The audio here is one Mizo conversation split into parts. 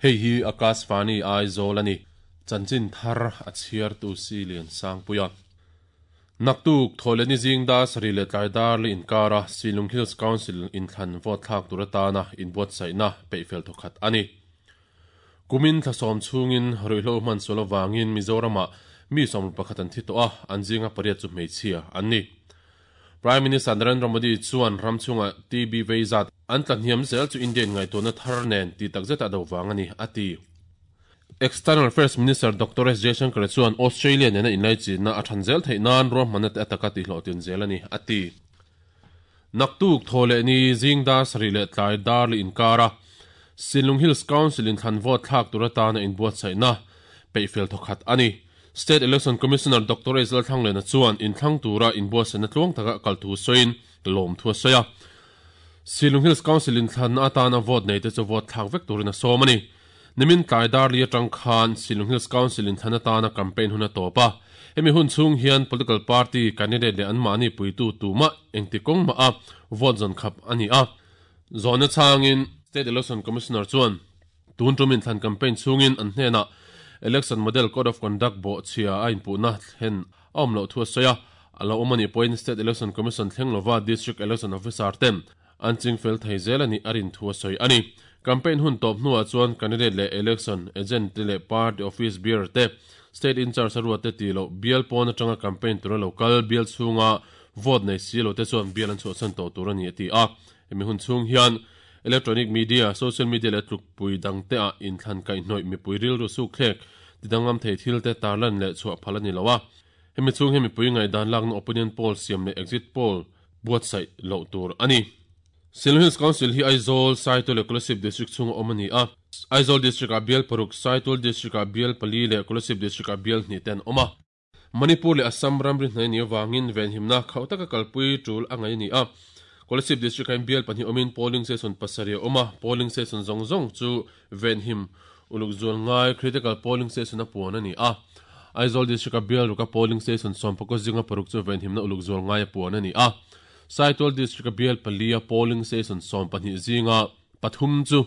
Hei hi Akashvani Aizawl a ni. Chanchin thar a chhiartu si Lian Sangpuia. Naktuk Thawhlehni zing dar sarih leh tlai dar li inkara Silung Hills Council inthlan vote thlak tur atana inbuatsaihna peihfel thawkhat a ni. Kumin thla sawm chhungin ruihhlo hman sual avangin Mizoramah mi 11 an thi tawh a, an zinga pariat chu hmeichhia an ni. Prime Minister Narendra Modi chuan ram chhunga TB vei zat an tla hniam zel chu India in ngaihtuahna thar nen tih takzeta a do vang a ni, a ti. External Affairs Minister Doctor S Jaishankar chuan Australia nena inlaichinna a than zel theih nan ruahmanna te a taka tihhlawhtlin zel a ni, a ti. Naktuk Thawhlehni zing dar sarih leh tlai dar li inkara Sinlung Hills Council in thlan vote thlak tur atana inbuatsaihna peihfel thawkhat a ni. State Election Commissioner Doctor S Lalthlanglena chuan inthlang tura inbuatsaihna tluang taka kal thu sawiin lawmthu a sawi a. Sinlung Hills Council inthlanna atana vote neite chu vote thlak vek turin a sawm a ni. Nimin tlai dar li atang khan Shillong Hills Council inthlan atana campaign hun a tawp a. Hemi hun chhung hian political party candidate leh anmahni puitu tumah engti kawng mah a vote zawn khap a ni a. Zawhna chhangin State Election Commissioner chuan tun tum inthlan campaign chhungin an hnenah Election Model Code of Conduct bawhchhia a inpuhna thlen a awm loh thu a sawi a. A lo awm a nih pawhin State Election Commission thleng lova District Election Officer ten An ching fel thei zel a nih a rin thu a sawi a ni. Campaign hun tawp hnuah chuan candidate leh election agent te leh party office bearer te, state in-charge a ruat te tih loh bial pawn atanga campaign tura lo kal bial chhunga vote nei si lo te chuan bial an chhuahsan tawh tur a ni a ti a. Hemi hun chhung hian electronic media, social media leh tlukpui dangte ah inthlan kaihhnawih mipui rilru sukthlek tidanglam thei thil te tarlan leh chhuah phal a ni lo a. Hemi chhung hian mipui ngaihdan lakna opinion poll siam leh exit poll buatsaih loh tur a ni. Silon Hills Council hi Aizawl, Saitual leh Kolasib District chhunga awm a ni a. Aizawl District-ah bial paruk, Saitual District-ah bial pali leh Kolasib District-ah bial hnih te an awm a. Manipur leh Assam ramri hnai a nih avangin venhimna khauh taka kalpui tul a ngaih a ni a. Kolasib District-ah hian bial pahnih awmin polling station pasarih a awm a, polling station zawng zawng chu venhim uluk zual ngai critical polling station a puan a ni a. Aizawl District-a bial ruka polling station sawmpakaw zinga paruk chu venhimna uluk zual ngai a puan a ni a. Saitual District-a bial palia polling station 12 zinga pathum chu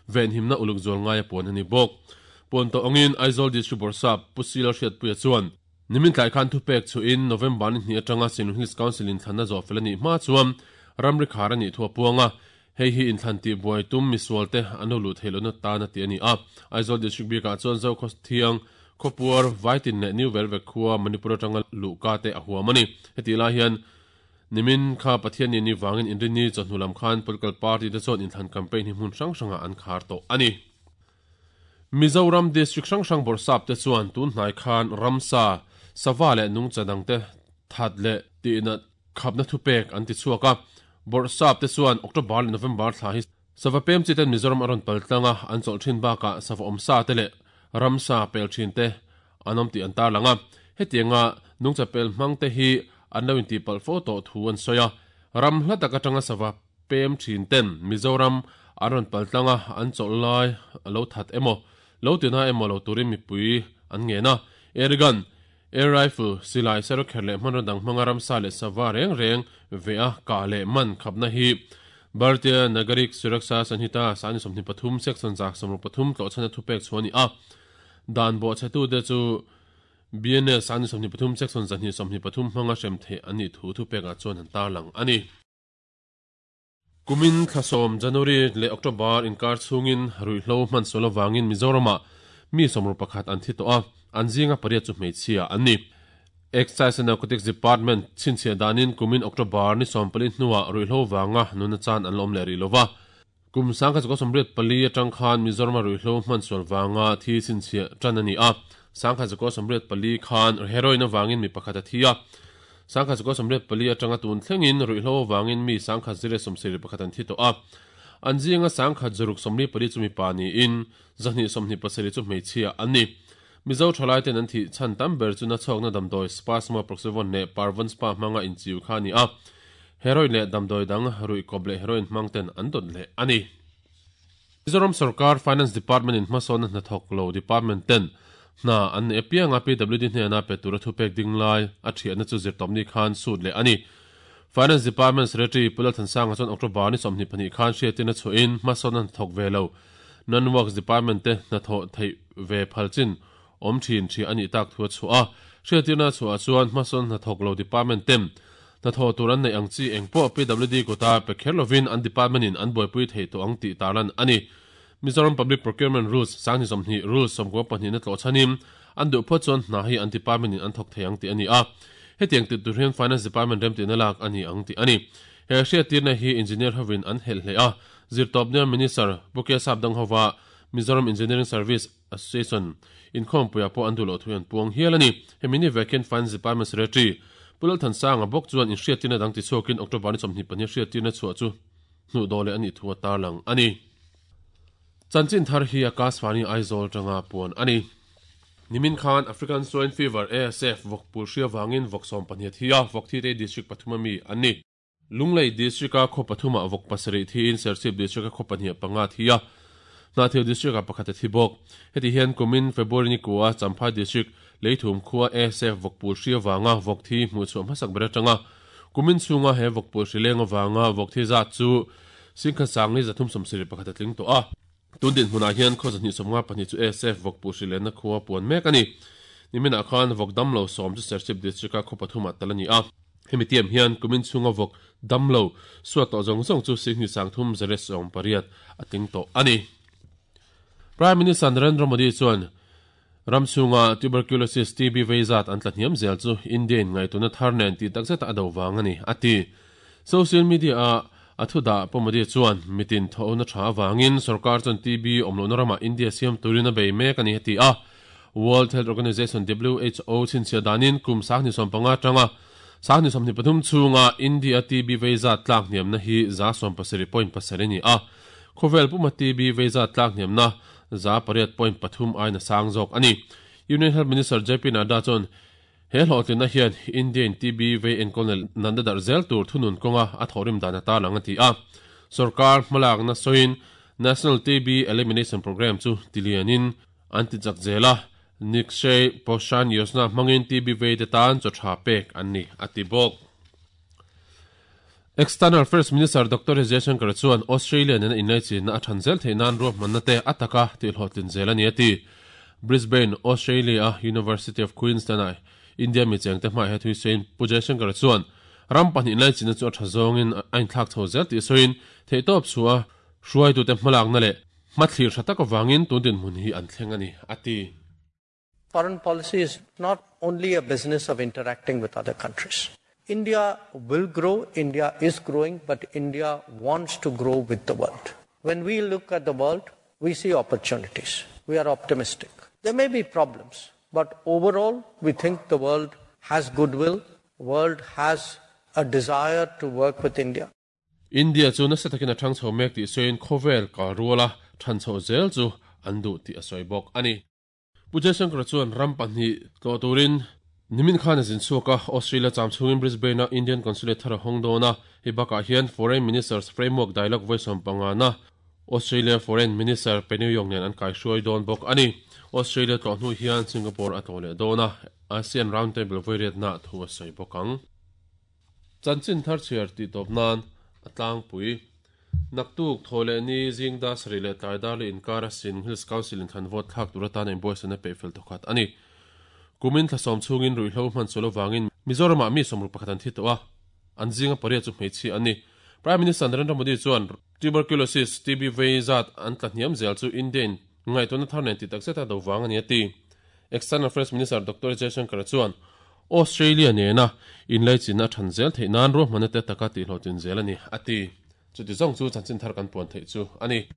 venhimna uluk zual ngai a puan a ni bawk. Puan tawh angin Aizawl District Bawrhsap Pu Sila Hriatpuia chuan nimin tlai khan thupek chhuhin November ni hnih atanga Sinlung Hills Council inthlanna zawhfel a nih hma chuan ramri khar a nih thu a puang a. Hei hi inthlan tih buai tum misual te an lo luh theih lohna tan a ti a ni a. Aizawl District bikah chuan Zokhaw Thiang, Khawpuar, Vaitin leh New Velvek khua Manipur atanga luhka te a huam a ni. Hetih lai hian nimin kha Pathian ni ni vangin Inrinni chawhnu lam khan political party te chuan inthlan campaign hi hmun hrang hrangah an khar tawh a ni. Mizoram District hrang hrang bawrhsap te chuan tun hnai khan ramsa, sava leh nungcha dangte that leh tihnat Khapna thupek an ti chhuak a, Bawrhsap te chuan October leh November thla hi sava pem chi ten Mizoram a rawn pal tlang a, an chawlh thin bakah sava awmsa te leh ramsa pel thin te an awm tih an tarlang a. Hetianga nungcha pel hmang te hi an lo intihpalh fo tawh thu an sawi a, ram hla tak atanga sava pem thin ten Mizoram an rawn pal tlang a, an chawlh lai a lo that emaw, lo tina emaw lo turin mipui an ngen a. Airgun Air rifle, silai, sarawkher leh hmanraw dang hmanga ramsa leh sava reng reng ve a kah leh man khapna hi Bharatiya Nagarik Suraksha Sanhita sani 23 section 133 tlawhchhana thupek chhuah a ni a. Dan bawhchhetute chu BNS sani 23 section 223 hmanga hrem theih an nih thu thupekah chuan an tarlang a ni. Kumin thla sawm January leh October inkar chhungin ruihhlo hman sual avangin Mizoramah mi sawmruk pakhat an thi tawh a, an zinga pariat chu hmeichhia an ni. Excise and Narcotics Department chhinchhiah danin kumin October ni sawmpali hnuah ruihhlo vanga nuna chan an la awm leh rih lova. Kum sangkhat zakua sawmriat pali atang khan Mizorama ruihhlo hman sual vanga thi chhinchhiah tan a ni a, sangkhat zakua 84 khan heroin avangin mi pakhat a thi a. 1984 atanga tun thlengin ruihhlo avangin mi 1071 an thi tawh a. An zinga 1644 chu mipa niin 227 chu hmeichhia an ni. Mizo thalaiten an thih chhan tam ber chu nachhawkna damdawi Spasmo Proxyvon leh Parvon Spa hmanga inchiu kha a ni a. Heroin leh damdawi dang ruih kawp leh heroin hmangten an dawt leh a ni. Mizoram sorkar Finance Department in hmasawnna hnathawk lo department ten hna an neih apianga PWD hnena pe tura thupek ding lai a thiahna chu zirtawpni khan sut leh a ni. Finance Department Secretary Pu Lalthansanga chuan October ni 22 khan hriatin a chhuahin hmasawnna hnathawk ve lo. Non-Works Department te hnathawh theih ve phal chin awm thin thi a nih tak thu a chhuah a. Hriattirna chhuah chuan hmasawn hnathawk lo department ten hnathawh tur an neih ang chi engpawh PWD kuta pe kher lovin an department in an buaipui thei tawh ang tih tarlan a ni. Mizoram Public Procurement Rules 2020 Rule 92 na tlawh chhanin an duh phawt chuan hna hi an department in an thawk thei ang tih a ni a. Hetiang tih tur hian Finance Department remtihna lak a ni ang tih a ni. He hriattirna hi Engineer hovin an helh hle a, Zirtawpnia Minister Pu Kesap Danghova Mizoram Engineering Service Association inkhawmpuiah pawh an duh loh thu an puang hial a ni. Hemi ni vek hian Finance Department Secretary Pu Lalthansanga bawk chuan inhriattirna dang tichhuakin October ni 22 hriattirna chhuah chu hnuh dawh leh a nih thu a tarlang a ni. Chanchin thar hi Akashvani Aizawl atanga puan a ni. Nimin khan African Swine Fever, ASF, vawk pul hria vangin vawk 12 a thi a, vawk thi te hi district pathum ami an ni. Lunglei District-a khaw pathumah vawk pasarih thiin Serchhip District-a khaw pahnih panga a thi a, Hnahthial District-ah pakhat a thi bawk. Heti hian kumin February ni kua Champhai District Leithum khua ASF vawkpul hri avanga vawk thi hmuhchhuah hmasak ber atanga kumin chhunga he vawkpul hri leng avanga vawk thi zat chu singkhat sangli 371 a tling tawh a. Tun dinhmunah hian khaw 292 chu ASF vawkpul hri lenna khua puan mek a ni. Niminah khan vawk damlo sawm chu Serchhip District-a khaw pathumah tal a ni a. Hemi tiam hian kumin chhunga vawk damlo suat tawh zawng zawng chu Sihni Sangthum Zare 18 a tling tawh a ni. Prime Minister Narendra Modi chuan ram chhunga Tuberculosis, TB, vei zat an tla hniam zel chu India in ngaihtuahna thar nen tih takzeta a do vang a ni, a ti. Social media-a a thu dah Pu Modi chuan mitin thawhna tha avangin sorkar chuan TB awm lohna ramah India siam turin a bei mek a ni, a ti a. World Health Organization, WHO, chhinchhiah danin kum 2015 atanga 2023 chhunga India TB vei zat tlak hniamna hi 77.7 a ni a. Khawvel puma TB vei zat tlak hniamna 8.3 aiin a sang zawk a ni. Union Health Minister JP Nadda chuan he hlawhtlinna hian India-in TB vei enkawlna natna darh zel tur thunun kawnga a thawhrim dan a tarlang a ti a. Sorkar hmalakna sawiin National TB Elimination Programme chu tilianin an ti chak zel a, Nikshay Poshan Yojana hmangin TB vei te tan chaw tha pek an ni a ti bawk. External Affairs Minister Doctor S Jaishankar chuan Australia nena inlaichinna a than zel theih nan ruahmanna te a taka tihhlawhtlin zel a ni a ti. Brisbane, Australia-a University of Queensland-a India mi chengte hmaiah he thuisawiin Pu Jaishankar chuan ram pahnih inlaichinna chu a tha zawngin a inthlak chho zel tih sawiin theihtawp chhuah a hruaitute hmalakna leh hmathlir tha tak avangin tun dinhmun hi an thleng a ni a ti. Foreign policy is not only a business of interacting with other countries. India will grow, India is growing, but India wants to grow with the world. When we look at the world, we see opportunities. We are optimistic. There may be problems, but overall, we think the world has goodwill, world has a desire to work with India. India chu nasa takin a thang chho mek tih sawiin khawvel kal ruala than chhoh zel chu an duh tih a sawi bawk a ni. Pu Jaishankar chuan ram pahnih tlawh turin nimin khan a zin chhuak a, Australia cham chhungin Brisbane-a Indian Consulate thar a hawng dawn a, hei bakah hian Foreign Ministers Framework Dialogue vawi 15na Australia Foreign Minister Penny Wong nen an kaihruai dawn bawk a ni. Australia tlawh hnu hian Singapore a tlawh leh dawn a, ASEAN Roundtable vawi riatna thu a sawi bawk ang. Chanchin thar chhiar tih tawp nan a tlangpui. Naktuk, thaw leh ni, zing dar sarih leh tlai dar leh inkar a Sin Hills Council in thlan vote thlak tur atan a inbuaisana peih fel thawkhat a ni. Kumin thla sawm chhungin ruihhlo hman sual avangin Mizoramah mi 61 an thi tawh a, an zinga pariat chu hmeichhia an ni. Prime Minister Narendra Modi chuan Tuberculosis, TB, vei zat an tla hniam zel chu India in ngaihtuahna thar nen tih takzet a do vang a ni a ti. External Affairs Minister Doctor Jaishankar chuan Australia nena inlaichinna a than zel theih nan ruahmanna te taka tihhlawhtlin zel a ni, a ti. Chuti zawng chu chanchin thar kan puan theih chu a ni.